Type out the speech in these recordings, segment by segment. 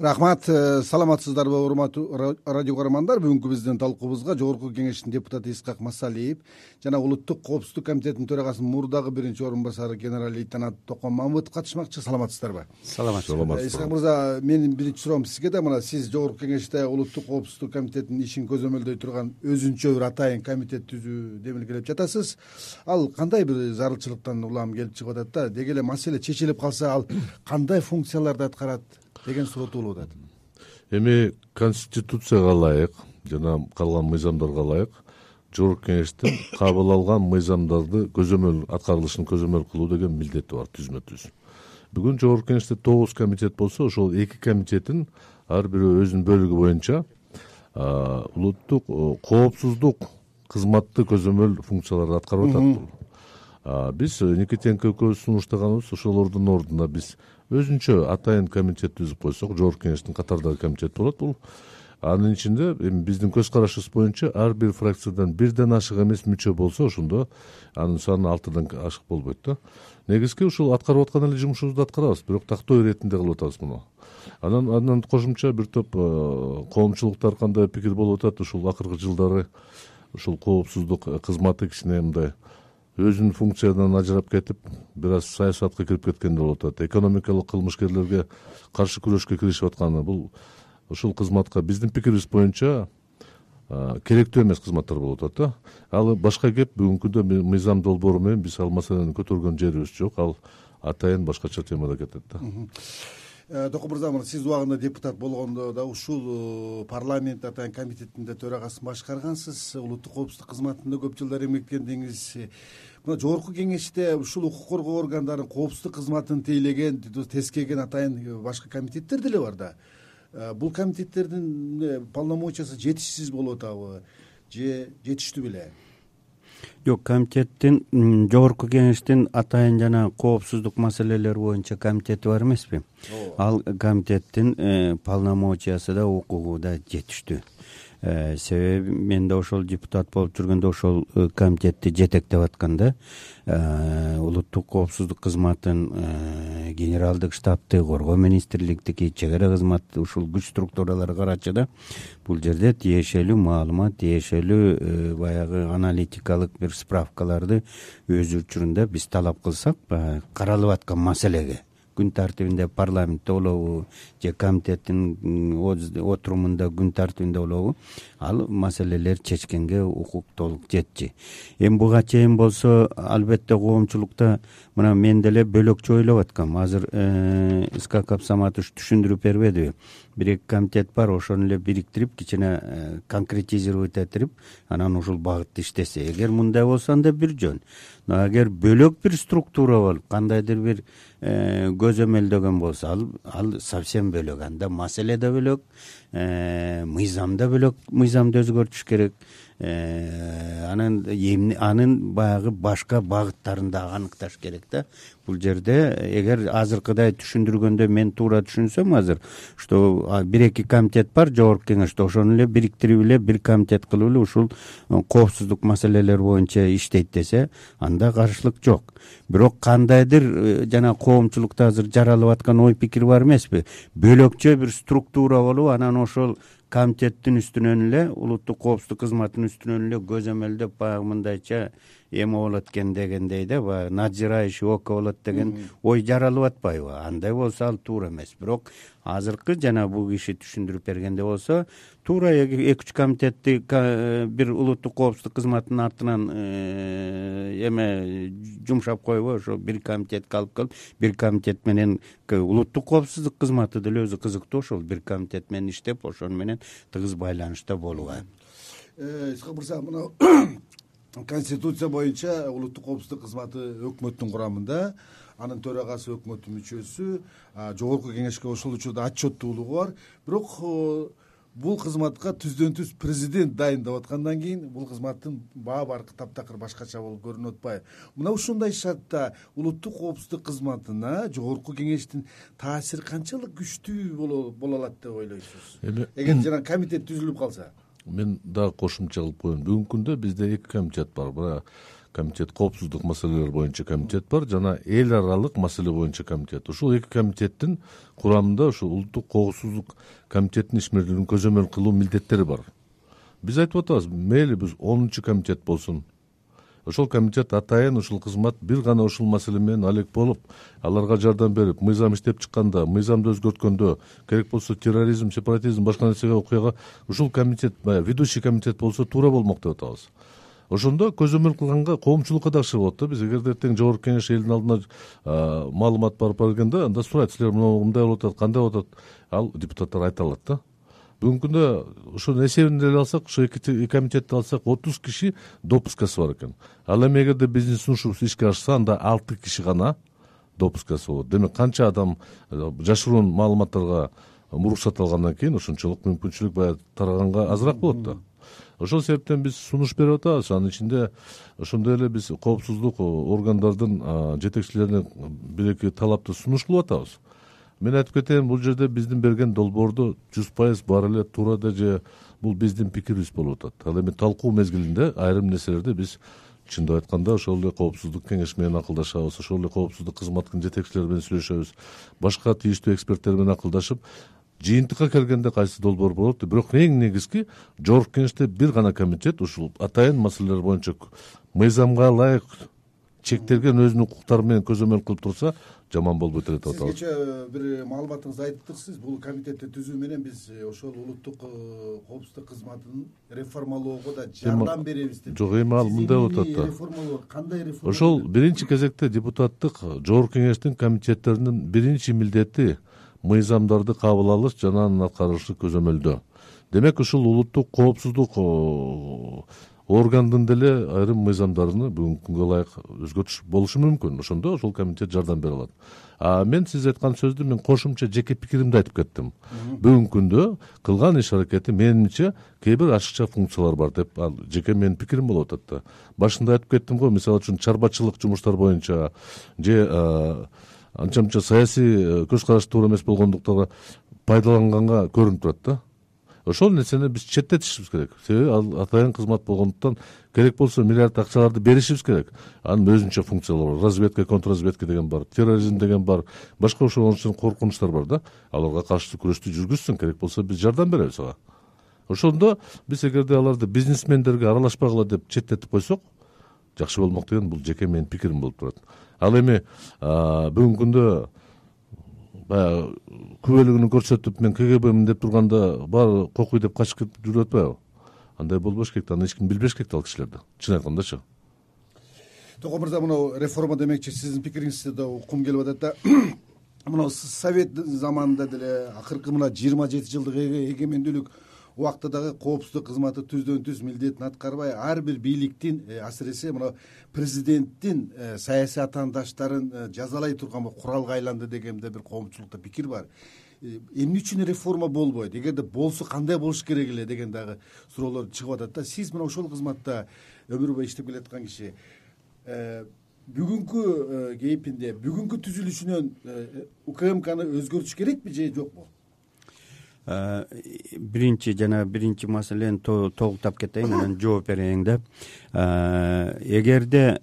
Рахмат, саламатсыздарбы урматтуу радио көрөрмандар. Бүгүнкү биздин талкуубузга Жогорку Кеңештин депутаты Исхак Масалиев жана Улуттук коопсуздук комитетинин төрагасынын мурдагы биринчи орун басары генерал-лейтенант Токон Мамытов катышмакчы. Саламатсыздарбы? Саламатсыз. Исхак мырза, менин биринчи суроом сизге да. Мына сиз Жогорку Кеңеште Улуттук коопсуздук комитетинин ишин көзөмөлдөй турган өзүнчө бир атайын комитет түзүү демилгелеп жатасыз. Ал кандай бир зарылчылыктан улам келип чыгып атат да? Деги эле маселе чечилип калса, ал кандай функцияларды аткарат деген суроо туулуп атат. Эми Конституцияга ылайык жана калган мыйзамдарга ылайык Жогорку Кеңештин кабыл алган мыйзамдарды аткарылышын көзөмөл кылуу деген милдети бар түзмө-түз. Бүгүн Жогорку Кеңеште 9 комитет болсо, ошол 2 комитеттин ар бири өзүнүн бөлүгү боюнча улуттук коопсуздук кызматты көзөмөл функцияларды аткарып атат. Биз Никитенко экөөбүз сунуштаганыбыз ошолордун ордуна биз өзүнчө атайын комитет түзүп койсок, Жогорку Кеңештин катардагы комитет болот. Бул анын ичинде эми биздин көз карашыбыз боюнча ар бир фракциядан бирден ашык эмес мүчө болсо, ошондо анын саны 6-дан ашык болбойт да. Негизги ушул аткарып аткан эле жумушубузду аткарабыз, бирок тактоо иретинде кылып атабыз муну. Андан кошумча бир топ коомчулуктар кандай пикир болуп атат, ушул акыркы жылдары ушул коопсуздук кызматы кичине мындай өзүнүн функциядан ажырап кетип, бир аз саясатка кирип кеткендей болуп атат. Экономикалык кылмышкерлерге каршы күрөшкө киришип атканы бул ушул кызматка биздин пикирибиз боюнча керектүү эмес кызматтар болуп атат да. Ал башка кеп, бүгүнкү күндө мыйзам долбоору менен биз ал маселени көтөргөн жерибиз жок. Ал атайын башкача темада кетет да. Токон мырза, сиз убагында депутат болгондо да ушул парламент атайын комитетинде төрагасын башкаргансыз, улуттук коопсуздук кызматында көп жылдар эмгектендиңиз. Мына Жогорку Кеңеште ушул укук коргоо органдарын коопсуздук кызматын тейлеген, тескеген атайын башка комитеттер деле бар да. Бул комитеттердин полномочиясы жетишсиз болуп атабы же жетиштүү беле? Жок, комитеттин Жогорку Кеңештин атайын жана коопсуздук маселелери боюнча комитети бар эмеспи? Ал комитеттин полномочиясы да укугу да жетиштүү. Себеби мен да ошол депутат болуп жүргөндө ошол комитетти жетектеп атканда улуттук коопсуздук кызматын генералдык штабты, коргоо министрликтики, чек ара кызматы ушул күч структуралары карачы да бул жерде тиешелүү маалымат, тиешелүү баягы аналитикалык бир справкаларды өз учурунда биз талап кылсак, каралып аткан маселеге күн тартибинде парламентте болобу же комитеттин отурумунда күн тартибинде болобу, ал маселелер чечкенге укук толук жетчи. Эми буга чейин болсо, албетте коомчулукта мына мен деле бөлөкчө ойлоп аткам. Азыр Исхак Абсаматович түшүндүрүп бербедиби? 1-2 комитет бар, ошону эле бириктирип, кичине конкретизировать этирип, анан ушул багытта иштесе. Эгер мындай болсо, анда бир жөн. Но эгер бөлөк бир структура болуп, кандайдыр бир көзөмөлдөгөн болсо, ал совсем бөлөк. Анда маселе да бөлөк, мыйзам да бөлөк, мыйзамды өзгөртүш керек. Анын баягы башка багыттарын да аныкташ керек да. Бул жерде эгер азыркыдай түшүндүргөндө мен туура түшүнсөм, азыр что 1-2 комитет бар Жогорку Кеңеште, ошону эле бириктирип эле бир комитет кылып эле ушул коопсуздук маселелер боюнча иштейт десе, анда каршылык жок. Бирок кандайдыр жана коомчулукта азыр жаралып аткан ой пикир бар эмеспи? Бөлөкчө бир структура болуп, анан ошол комитеттин үстүнөн эле, улуттук коопсуздук кызматынын үстүнөн эле көзөмөлдөп, баягы мындайча эме болот экен дегендей да, баягы надзирающий око болот деген ой жаралып атпайбы? Андай болсо ал туура эмес. Бирок азыркы жана бул киши түшүндүрүп бергенде болсо, туура 2-3 комитетти бир улуттук коопсуздук кызматынын артынан эме жумшап койбой, ошо бир комитетке алып келип, бир комитет менен улуттук коопсуздук кызматы деле өзү кызыктуу, ошол бир комитет менен иштеп, ошону менен тыгыз байланышта болуга. Исхак мырза, мына Конституция боюнча улуттук коопсуздук кызматы өкмөттүн курамында, анын төрагасы өкмөттүн мүчөсү, Жогорку Кеңешке ошол учурда отчеттуулугу бар. Бирок бул кызматка түздөн-түз президент дайындап аткандан кийин бул кызматтын баары таптакыр башкача болуп көрүнүп атпайбы? Мына ушундай шартта улуттук коопсуздук кызматына Жогорку Кеңештин таасири канчалык күчтүү боло алат деп ойлойсуз? Эгер жана комитет түзүлүп калса? Мен дагы кошумча кылып коеюн. Бүгүнкү күндө бизде 2 комитет бар. комитет, коопсуздук маселелери боюнча комитет бар жана эл аралык маселе боюнча комитет. Ушул эки комитеттин курамында ушул улуттук коопсуздук комитетинин ишмердүүлүгүн көзөмөл кылуу милдеттери бар. Биз айтып атабыз, мейли биз 10 комитет болсун. Ошол комитет атайын ушул кызмат бир гана ушул маселе менен алек болуп, аларга жардам берип, мыйзам иштеп чыкканда, мыйзамды өзгөрткөндө, керек болсо терроризм, сепаратизм, башка нерсеге окуяга ушул комитет, ведущий комитет болсо туура болмок деп атабыз. Ошондо көзөмөл кылганга коомчулукка да акча болот да. Биз эгерде эртең жогорку кеңеш элдин алдына маалымат барып бергенде, анда сурайт, силер мындай болуп атат, кандай болуп атат, ал депутаттар айта алат да. Бүгүнкү күндө ошонун эсебин деле алсак, ошо эки комитетти алсак 30 киши допускасы бар экен. Ал эми эгерде биздин сунушубуз ишке ашса, анда 6 киши гана допускасы болот. Демек канча адам жашыруун маалыматтарга уруксат алгандан кийин ошончолук мүмкүнчүлүк баягы тараганга азыраак болот да. Ошол себептен биз сунуш берип атабыз. Анын ичинде ошондой эле биз коопсуздук органдардын жетекчилерине бир-эки талапты сунуш кылып атабыз. Мен айтып кетейин, бул жерде биздин берген долбоорду 100% баары эле туура да же бул биздин пикирибиз болуп атат. Ал эми талкуу мезгилинде айрым нерселерди биз чындап айтканда ошол эле коопсуздук кеңеш менен акылдашабыз, ошол эле коопсуздук кызматынын жетекчилери менен сүйлөшөбүз, башка тийиштүү эксперттер менен акылдашып, жыйынтыкка келгенде кайсы долбоор болот. Бирок эң негизги жогорку кеңеште бир гана комитет ушул атайын маселелер боюнча мыйзамга ылайык чектелген өзүнүн укуктары менен көзөмөл кылып турса, жаман болбойт деп атабыз. Сиз кечээ бир маалыматыңызды айттыңыз, бул комитетти түзүү менен биз ошол улуттук коопсуздук кызматын реформалоого да жардам беребиз деп. Жок, эми ал мындай болуп атат да. Реформалоо кандай реформа? Ошол биринчи кезекте депутаттык жогорку кеңештин комитеттеринин биринчи милдети мыйзамдарды кабыл алыш жана анын аткарылышы көзөмөлдөө. Демек ушул улуттук коопсуздук органдын деле айрым мыйзамдарын бүгүнкү күнгө ылайык өзгөртүш болушу мүмкүн. Ошондо ошол комитет жардам бере алат. Мен сиз айткан сөздү мен кошумча жеке пикиримди айтып кеттим. Бүгүнкү күндө кылган иш аракети менимче кээ бир ашыкча функциялар бар деп, ал жеке менин пикирим болуп атат да. Башында айтып кеттим го, мисалы үчүн чарбачылык жумуштар боюнча же анча-мынча саясий көз караш туура эмес болгондуктарга пайдаланганга көрүнүп турат да. Ошол нерсени биз четтетишибиз керек. Себеби ал атайын кызмат болгондуктан керек болсо миллиард акчаларды беришибиз керек. Анын өзүнчө функциялары бар. Разведка, контрразведка деген бар, терроризм деген бар, башка ошол коркунучтар бар да. Аларга каршы күрөштү жүргүзсүн, керек болсо биз жардам беребиз ага. Ошондо биз эгерде аларды бизнесмендерге аралашпагыла деп четтетип койсок, жакшы болмок деген бул жеке менин пикирим болуп турат. Ал эми бүгүнкү күндө баягы күбөлүгүн көрсөтүп мен КГБмин деп турганда баары кокуй деп качып кетип жүрүп атпайбы? Андай болбош керек да, аны эч ким билбеш керек да ал кишилерди. Чын айткандачы. Токой мырза, мына реформа демекчи сиздин пикириңизди да уккум келип атат да. Мына совет заманында деле акыркы мына 27 жылдык эгемендүүлүк убакта дагы коопсуздук кызматы түздөн түз милдетин аткарбай, ар бир бийликтин, асыресе мына президенттин саясий атаандаштарын жазалай турган куралга айланды дегенде бир коомчулукта пикир бар. Эмне үчүн реформа болбойт? Эгерде болсо кандай болуш керек эле деген дагы суроолор чыгып атат да. Сиз мына ошол кызматта өмүр бою иштеп келаткан киши, бүгүнкү кейпинде, бүгүнкү түзүлүшүнөн УКМКны өзгөртүш керекпи же жокпу? Биринчи маселени толуктап кетейин, анан жооп берейин да. Эгерде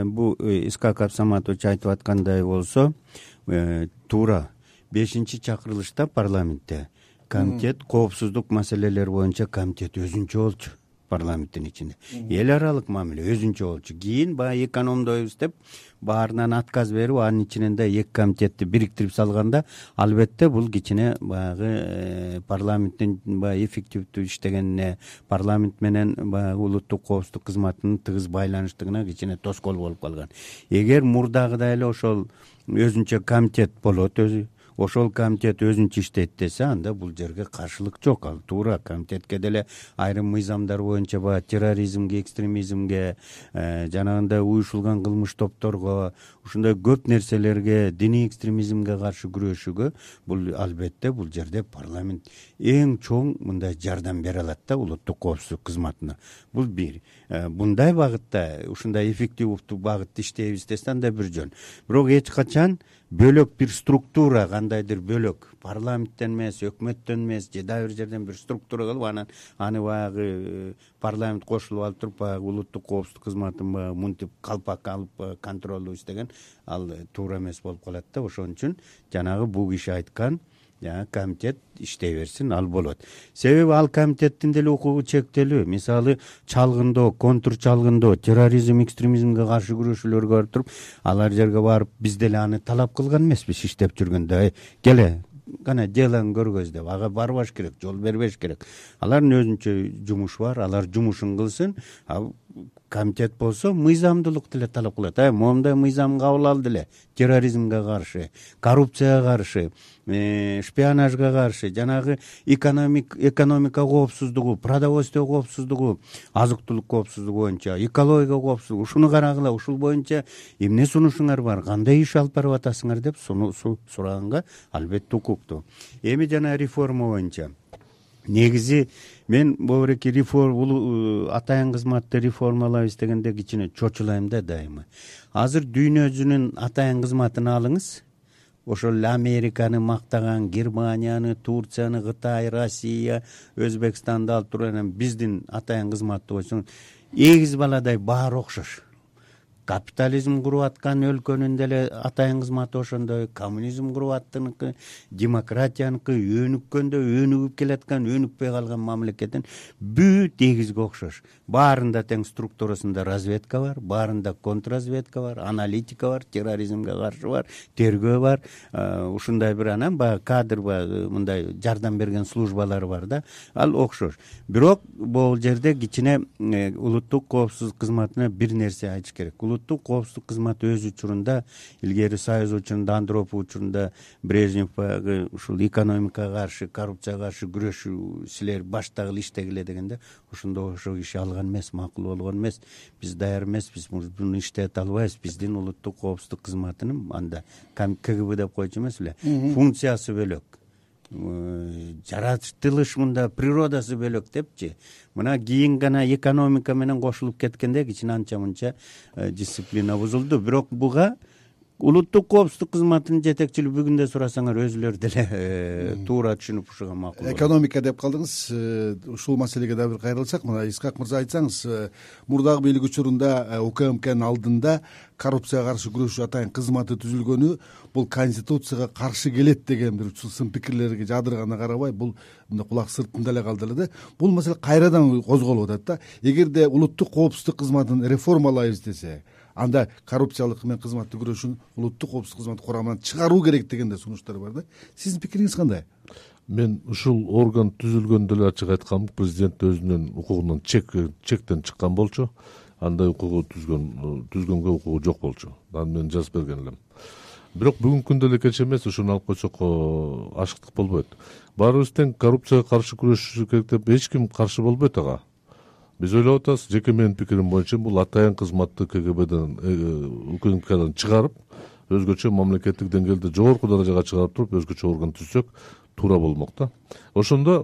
бул Искак Абсаматович айтып аткандай болсо, туура 5-чакырылышта парламентте комитет коопсуздук маселелери боюнча комитет өзүнчө болчу. Парламенттин ичинде эл аралык мамиле өзүнчө болчу. Кийин баягы экономдойбуз деп баарынан отказ берип, анын ичинен да эки комитетти бириктирип салганда, албетте бул кичине баягы парламенттин баягы эффективдүү иштегенине, парламент менен баягы улуттук коопсуздук кызматынын тыгыз байланыштыгына кичине тоскоол болуп калган. Эгер мурдагыдай эле ошол өзүнчө комитет болот, ошол комитет өзүнчө иштейт десе, анда бул жерге каршылык жок. Ал туура комитетке деле айрым мыйзамдар боюнча баягы терроризмге, экстремизмге, жанагындай уюшулган кылмыш топторго, ушундай көп нерселерге, диний экстремизмге каршы күрөшүүгө бул албетте бул жерде парламент эң чоң мындай жардам бере алат да улуттук коопсуздук кызматына. Бул бир. Мындай багытта, ушундай эффективдүү багытта иштейбиз десе, анда бир жөн. Бирок эч качан бөлөк бир структура, кандайдыр бөлөк парламенттен эмес, өкмөттөн эмес же дагы бир жерден бир структура кылып анан аны баягы парламент кошулуп алып туруп баягы улуттук коопсуздук кызматын баягы мынтип калпак алып контролдоп иштеген ал туура эмес болуп калат да. Ошон үчүн жанагы бул киши айткан комитет иштей берсин, ал болот. Себеби ал комитеттин деле укугу чектелүү. Мисалы чалгындоо, контур чалгындоо, терроризм, экстремизмге каршы күрөшүүлөргө барып туруп, алар жерге барып биз деле аны талап кылган эмеспиз иштеп жүргөндө. Келе кана делаң көргөз деп ага барбаш керек, жол бербеш керек. Алардын өзүнчө жумушу бар, алар жумушун кылсын. Комитет болсо мыйзамдуулук деле талап кылат. Момундай мыйзам кабыл алды эле. Терроризмге каршы, коррупцияга каршы, шпионажга каршы, жанагы экономика коопсуздугу, продовольствие коопсуздугу, азык-түлүк коопсуздугу боюнча, экология коопсуздугу, ушуну карагыла, ушул боюнча эмне сунушуңар бар, кандай иш алып барып атасыңар деп сураганга албетте укуктуу. Эми жана реформа боюнча негизи мен бобуреки атайын кызматты реформалайбыз дегенде кичине чочулайм да дайыма. Азыр дүйнө жүзүнүн атайын кызматын алыңыз. Ошол эле Американы мактаган, Германияны, Турцияны, Кытай, Россия, Өзбекстанды алып турган биздин атайын кызматты койсоң, эгиз баладай баары окшош. Капитализм куруп аткан өлкөнүн деле атайын кызматы ошондой, коммунизм куруп аттыныкы, демократияныкы, өнүккөндө өнүгүп келаткан, өнүкпөй калган мамлекеттин бүт эгизге окшош. Баарында тең структурасында разведка бар, баарында контрразведка бар, аналитика бар, терроризмге каршы бар, тергөө бар. Ушундай бир анан баягы кадр мындай жардам берген службалар бар да. Ал окшош. Бирок бул жерде кичине улуттук коопсуздук кызматына бир нерсе айтыш керек. Улуттук коопсуздук кызматы өз учурунда, илгери Союз учурунда, Андропов учурунда Брежнев ушул экономикага каршы, коррупцияга каршы күрөшүү силер баштагыла иштегиле дегенде, ошондо ошол киши алган эмес, макул болгон эмес. Биз даяр эмеспиз, муну иштете албайбыз. Биздин улуттук коопсуздук кызматынын анда КГБ деп койчу эмес эле, функциясы бөлөк. Жаратылыш мында природасы бөлөк депчи. Мына кийин гана экономика менен кошулуп кеткенде кичине анча мынча дисциплина бузулду. Бирок буга улуттук коопсуздук кызматынын жетекчилиги бүгүндө сурасаңар өзүлөрү деле туура түшүнүп ушуга макул. Экономика деп калдыңыз. Ушул маселеге дагы бир кайрылсак, мына Исхак мырза айтсаңыз, мурдагы бийлик учурунда УКМКнын алдында коррупцияга каршы күрөшүү атайын кызматы түзүлгөнү бул конституцияга каршы келет деген бир сын пикирлерге жадырганына карабай, бул мындай кулак сыртында эле калды эле да. Бул маселе кайрадан козголуп атат да. Эгерде улуттук коопсуздук кызматын реформалайбыз десе, анда коррупциялык менен кызматты күрөшүүнү улуттук коопсуздук кызматы курамынан чыгаруу керек деген да сунуштар бар да. Сиздин пикириңиз кандай? Мен ушул орган түзүлгөндө эле ачык айткам, президент өзүнүн укугунан чектен чыккан болчу. Андай укугу түзгөнгө укугу жок болчу. Аны мен жазып берген элем. Бирок бүгүнкү күндө эле кеч эмес, ушуну алып койсок ашыктык болбойт. Баарыбыз тең коррупцияга каршы күрөшүш керек деп эч ким каршы болбойт ага. Биз ойлоп атабыз, жеке менин пикирим боюнча бул атайын кызматты КГБден, УКМКдан чыгарып, өзгөчө мамлекеттик деңгээлде жогорку даражага чыгарып туруп, өзгөчө орган түзсөк туура болмок да. Ошондо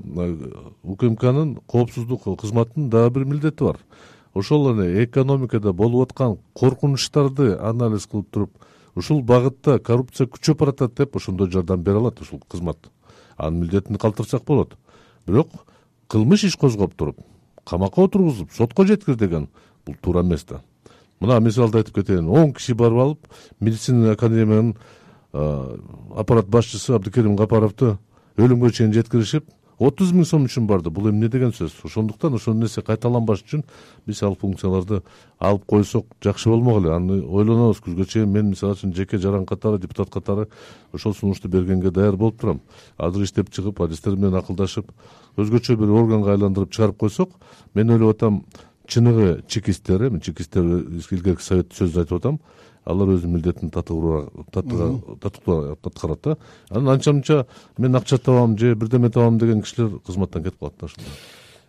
УКМКнын коопсуздук кызматынын дагы бир милдети бар. Ошол эле экономикада болуп аткан коркунучтарды анализ кылып туруп, ушул багытта коррупция күчөп баратат деп ошондо жардам бере алат ушул кызмат. Анын милдетин калтырсак болот. Бирок кылмыш иш козгоп туруп, камакка отургузуп, сотко жеткир деген бул туура эмес да. Мына мисалды айтып кетейин. 10 киши барып алып, медицина академиянын аппарат башчысы Абдыкерим Капаровду өлүмгө чейин жеткиришип, 30 000 сом үчүн барды. Бул эмне деген сөз? Ошондуктан ошол нерсе кайталанбаш үчүн биз ал функцияларды алып койсок жакшы болмок эле. Аны ойлонобуз күзгө чейин. Мен мисалы үчүн жеке жаран катары, депутат катары ошол сунушту бергенге даяр болуп турам. Азыр иштеп чыгып, адистер менен акылдашып, өзгөчө бир органга айландырып чыгарып койсок, мен ойлоп атам, чыныгы чекисттер, илгерки совет сөз айтып атам, алар өзүнүн милдетин татыктуу аткарат да. Анан анча-мынча мен акча табам же бирдеме табам деген кишилер кызматтан кетип калат да ошондо.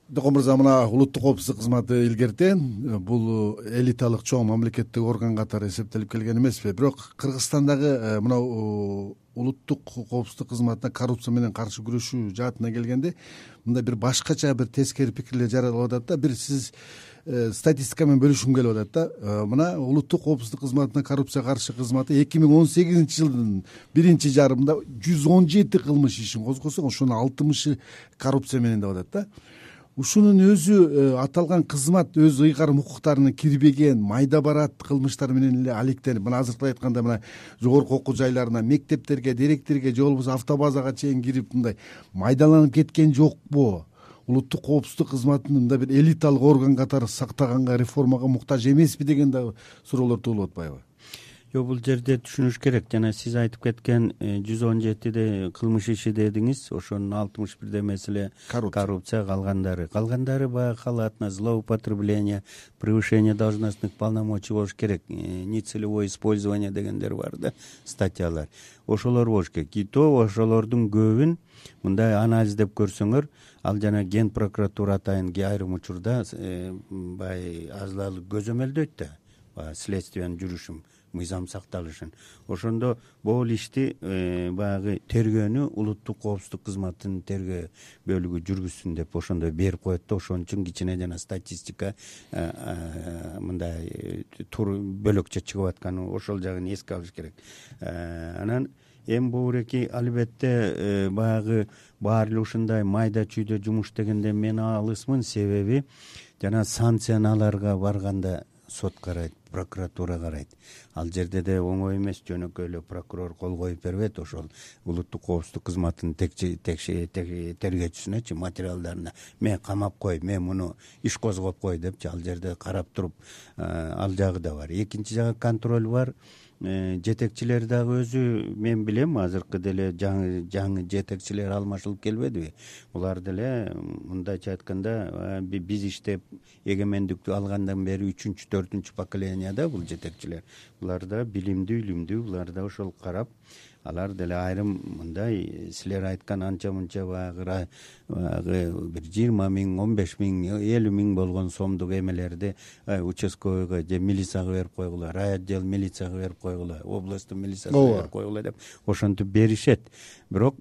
Докон мырза, мына улуттук коопсуздук кызматы илгертен бул элиталык чоң мамлекеттик орган катары эсептелип келген эмеспи? Бирок Кыргызстандагы мына улуттук коопсуздук кызматына коррупция менен каршы күрөшүү жаатына келгенде мындай бир башкача бир тескери пикирлер жаралып атат да. Бир сиз статистика менен бөлүшкүм келип атат да. Мына улуттук коопсуздук кызматына коррупцияга каршы кызматы 2018-жылдын биринчи жарымында 117 кылмыш ишин козгосо, ошонун 60 коррупция менен деп атат да. Ушунун өзү аталган кызмат өз ыйгарым укуктарына кирбеген майда барат кылмыштар менен эле алектенип, мына азыркы айтканда мына жогорку окуу жайларына, мектептерге, директорге же болбосо автобазага чейин кирип мындай майдаланып кеткен жокпу? Улуттук коопсуздук кызматын мындай бир элиталык орган катары сактаганга, реформага муктаж эмеспи деген да суроолор туулуп атпайбы? Жок, бул жерде түшүнүш керек. Жана сиз айтып кеткен 117 кылмыш иши дедиңиз, ошонун 61 маселе коррупция, калгандары баягы халатность, злоупотребление, превышение должностных полномочий болуш керек, нецелевое использование дегендер бар да, статьялар. Ошолор болуш керек. И то ошолордун көбүн мындай анализдеп көрсөңөр, ал жана Ген прокуратура атайын айрым учурда баягы азалык көзөмөлдөйт да, баягы следствиянын жүрүшүн, мыйзам сакталышын. Ошондо бул ишти баягы тергөөнү улуттук коопсуздук кызматынын тергөө бөлүгү жүргүзсүн деп ошондой берип коет да. Ошон үчүн кичине жана статистика мындай бөлөкчө чыгып атканы ошол жагын эске алыш керек. Анан эми бууреки албетте баягы баары эле ушундай майда чүйдө жумуш дегенде мен алысмын, себеби жана санкцияларга барганда сот карайт, прокуратура карайт. Ал жерде де оңой эмес, жөнөкөй эле прокурор кол коюп бербейт ошол улуттук коопсуздук кызматынын тергөөчүсүнөчү материалдарына мен камап кой, мен муну иш козгоп кой депчи, ал жерде карап туруп ал жагы да бар. Экинчи жагы контроль бар. Жетекчилер дагы өзү, мен билем, азыркы деле жаңы жетекчилер алмашылып келбедиби? Булар деле мындайча айтканда биз иштеп эгемендикти алгандан бери 3-4 поколенияда бул жетекчилер. Булар да билимдүү, булар да ошол карап, алар деле айрым мындай силер айткан анча мынча баягы бир 20 миң, 15 миң, 50 миң болгон сомдук эмелерди участковыйга же милицияга берип койгула, райотдел милицияга берип койгула, областтын милициясына берип койгула деп ошентип беришет. Бирок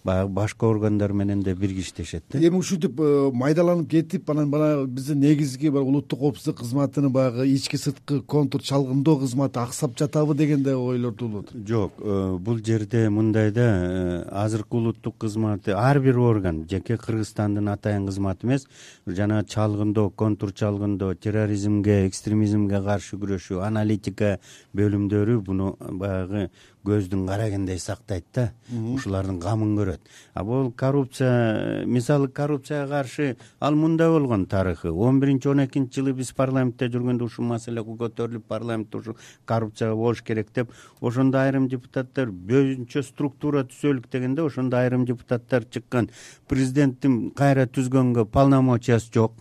баягы башка органдар менен да бирге иштешет да. Эми ушинтип майдаланып кетип, анан бана биздин негизги бар улуттук коопсуздук кызматынын баягы ички сырткы контур чалгындоо кызматы аксап жатабы деген да ойлор туулуп атат. Жок, бул жерде мындай да, азыркы улуттук кызматы ар бир орган жеке Кыргызстандын атайын кызматы эмес, жана чалгындоо, контур чалгындоо, терроризмге, экстремизмге каршы күрөшүү, аналитика бөлүмдөрү буну баягы көздүн карагендей сактайт да, ушулардын камын көрөт. А бул коррупция, мисалы коррупцияга каршы ал мындай болгон тарыхы. 11-12-жылы биз парламентте жүргөндө ушул маселе көтөрүлүп, парламентте ушул коррупция болуш керек деп, ошондо айрым депутаттар бөйүнчө структура түзөлүк дегенде, ошондо айрым депутаттар чыккан. Президенттин кайра түзгөнгө полномочиясы жок,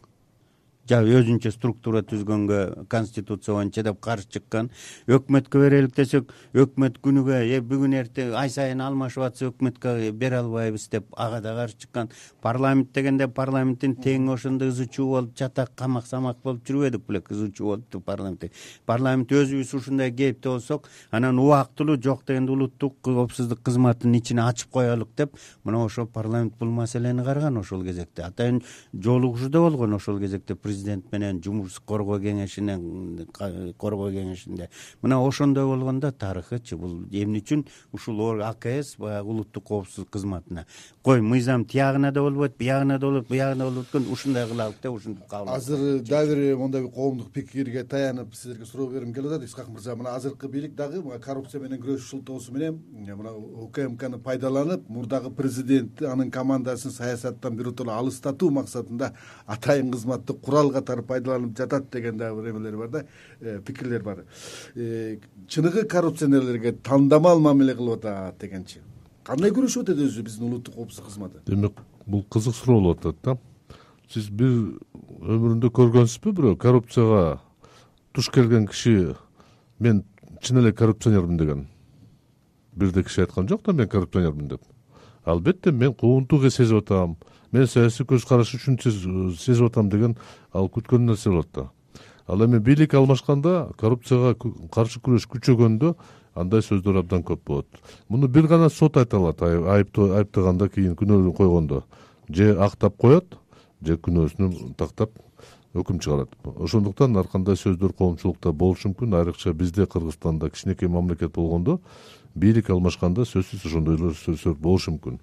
өзүнчө структура түзгөнгө конституция боюнча деп каршы чыккан. Өкмөткө берелик десек, өкмөт күнүгө бүгүн эртең ай сайын алмашып атса өкмөткө бере албайбыз деп ага да каршы чыккан. Парламент дегенде парламенттин тең ошондой ызы чуу болуп чатак камак самак болуп жүрбөдүк беле, ызы чуу болупту парламентте. Парламент өзүбүз ушундай кейипте болсок, анан убактылуу жок дегенде улуттук коопсуздук кызматынын ичине ачып коелук деп, мына ошол парламент бул маселени караган ошол кезекте. Атайын жолугушуу да болгон ошол кезекте президент менен жумуш коргоо кеңешинде. Мына ошондой болгондо тарыхычы бул эмне үчүн ушул АКС баягы улуттук коопсуздук кызматына кой мыйзам тиягына да болбойт, биягына да болот, буягына болот экен, ушундай кылалык деп ушинтип кабыл. Азыр дагы бир мондай бир коомдук пикирге таянып силерге суроо бергим келип атат. Исхак мырза, мына азыркы бийлик дагы коррупция менен күрөшүү шылтоосу менен мына УКМКны пайдаланып, мурдагы президент анын командасын саясаттан биротоло алыстатуу максатында атайын кызматты курал катары пайдаланып жатат деген дагы бир эмелер бар да, пикирлер бар. Чыныгы коррупционерлерге тандамал мамиле кылып атат дегенчи. Кандай күрөшүп атат өзү биздин улуттук коопсуздук кызматы? Демек, бул кызык суроо болуп атат да. Сиз бир өмүрүндө көргөнсүзбү бирөө коррупцияга туш келген киши мен чын эле коррупционермин деген? Бирде киши айткан жок да, мен коррупционермин деп. Албетте мен куугунтууга сезип атам, мен саясий көз караш үчүн сезип атам деген ал күткөн нерсе болот да. Ал эми бийлик алмашканда, коррупцияга каршы күрөш күчөгөндө андай сөздөр абдан көп болот. Муну бир гана сот айта алат, айыптаганда кийин күнөөлүн койгондо. Же актап коет, же күнөөсүн тактап өкүм чыгарат. Ошондуктан ар кандай сөздөр коомчулукта болушу мүмкүн, айрыкча бизде Кыргызстанда кичинекей мамлекет болгондо бийлик алмашканда сөзсүз ошондой сөздөр болушу мүмкүн.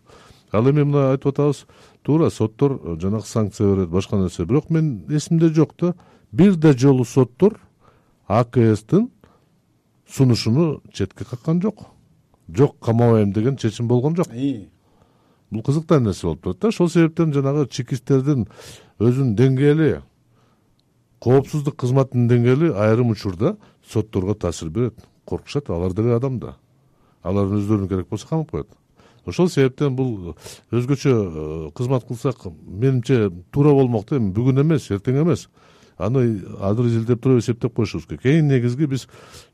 Ал эми мына айтып атабыз, туура соттор жанагы санкция берет, башка нерсе. Бирок мен эсимде жок да, бир да жолу соттор АКСтин сунушуну четке каккан жок. Жок, камабайм деген чечим болгон жок. Бул кызыктуу нерсе болуп турат да. Ошол себептен жанагы чекисттердин өзүнүн деңгээли, коопсуздук кызматынын деңгээли айрым учурда сотторго таасир берет. Коркушат, алар деле адам да. Алар өздөрүнө керек болсо камап коет. Ошол себептен бул өзгөчө кызмат кылсак, менимче туура болмок да. Бүгүн эмес, эртең эмес. Аны азыр изилдеп туруп эсептеп коюшубуз керек. Эң негизги биз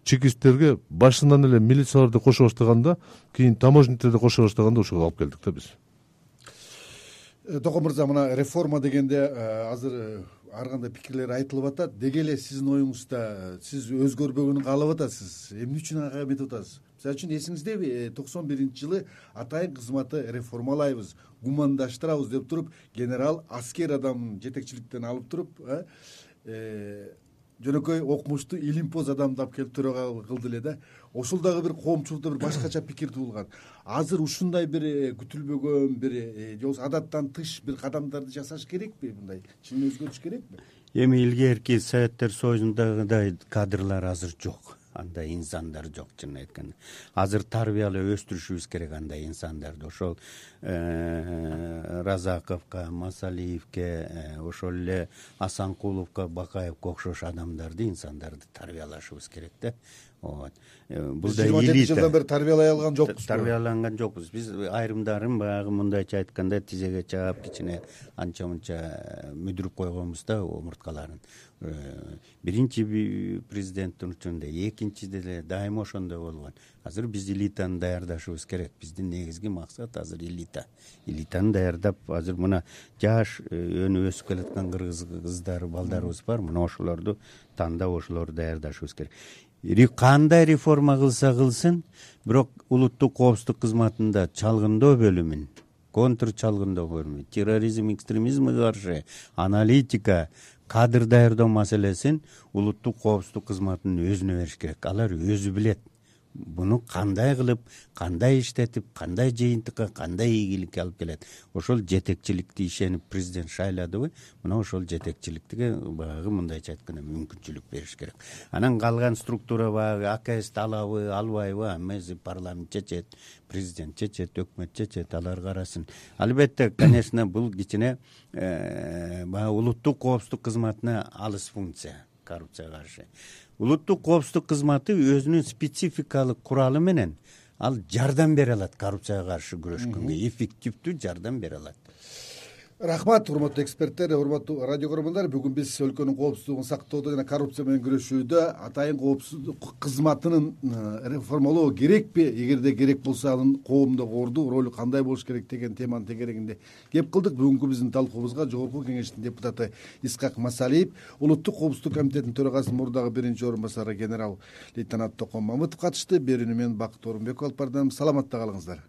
чекисттерге башынан эле милицияларды кошо баштаганда, кийин таможниктерди кошо баштаганда ошого алып келдик да биз. Токон мырза, мына реформа дегенде азыр ар кандай пикирлер айтылып атат. Деги эле сиздин оюңузда сиз өзгөрбөгөнүн каалап атасыз. Эмне үчүн ага эметип атасыз? Мисалы үчүн эсиңиздеби, 91-жылы атайын кызматты реформалайбыз, гумандаштырабыз деп туруп, генерал аскер адамын жетекчиликтен алып туруп, жөнөкөй окумуштуу илимпоз адамды алып келип төрага кылды эле да. Ошол дагы бир коомчулукта бир башкача пикир туулган. Азыр ушундай бир күтүлбөгөн бир же болбосо адаттан тыш бир кадамдарды жасаш керекпи? Мындай чын өзгөрүш керекпи? Эми илгерки Советтер Союзундагыдай кадрлар азыр жок. Андай инсандар жок, чынын айтканда. Азыр тарбиялап өстүрүшүбүз керек андай инсандарды. Ошол Разаковго, Масалиевге, ошол эле Асанкуловго, Бакаевге окшош адамдарды, инсандарды тарбиялашыбыз керек да. Бул да элита. 27 жылдан бери тарбиялай алган жокпуз. Тарбияланган жокпуз. Биз айрымдарын баягы мындайча айтканда тизеге чаап, кичине анча-мынча мүдүрүп койгонбуз да омурткаларын. Биринчи президенттин учурунда, экинчиде деле дайыма ошондой болгон. Азыр биз элитаны даярдашыбыз керек. Биздин негизги максат азыр элита. Элитаны даярдап, азыр мына жаш өнүп өсүп келаткан кыргыз кыздар, балдарыбыз бар. Мына ошолорду тандап, ошолорду даярдашыбыз керек. Кандай реформа кылса кылсын, бирок улуттук коопсуздук кызматында чалгындоо бөлүмүн, контр чалгындоо бөлүмү, терроризм, экстремизмге каршы аналитика, кадр даярдоо маселесин улуттук коопсуздук кызматынын өзүнө бериш керек. Алар өзү билет. Буну кандай кылып, кандай иштетип, кандай жыйынтыкка, кандай ийгиликке алып келет. Ошол жетекчиликти ишенип президент шайладыбы, мына ошол жетекчиликке баягы мындайча айтканда мүмкүнчүлүк бериш керек. Анан калган структура баягы АКС алабы, албайбы, эмеси парламент чечет, президент чечет, өкмөт чечет, алар карасын. Албетте, конечно, бул кичине баягы улуттук коопсуздук кызматына алыс функция, коррупцияга каршы. Улуттук коопсуздук кызматы өзүнүн спецификалык куралы менен ал жардам бере алат коррупцияга каршы күрөшкөнгө, эффективдүү жардам бере алат. Рахмат, урматтуу эксперттер, урматтуу радио көрөрмандар. Бүгүн биз өлкөнүн коопсуздугун сактоодо жана коррупция менен күрөшүүдө атайын коопсуздук кызматынын реформалоо керекпи, эгерде керек болсо анын коомдо орду, ролу кандай болуш керек деген теманын тегерегинде кеп кылдык. Бүгүнкү биздин талкуубузга Жогорку Кеңештин депутаты Исхак Масалиев, Улуттук коопсуздук комитетинин төрагасынын мурдагы биринчи орун басары генерал лейтенант Токон Мамытов катышты. Берүүнү мен Бакыт Орунбеков алып бардым. Саламатта калыңыздар.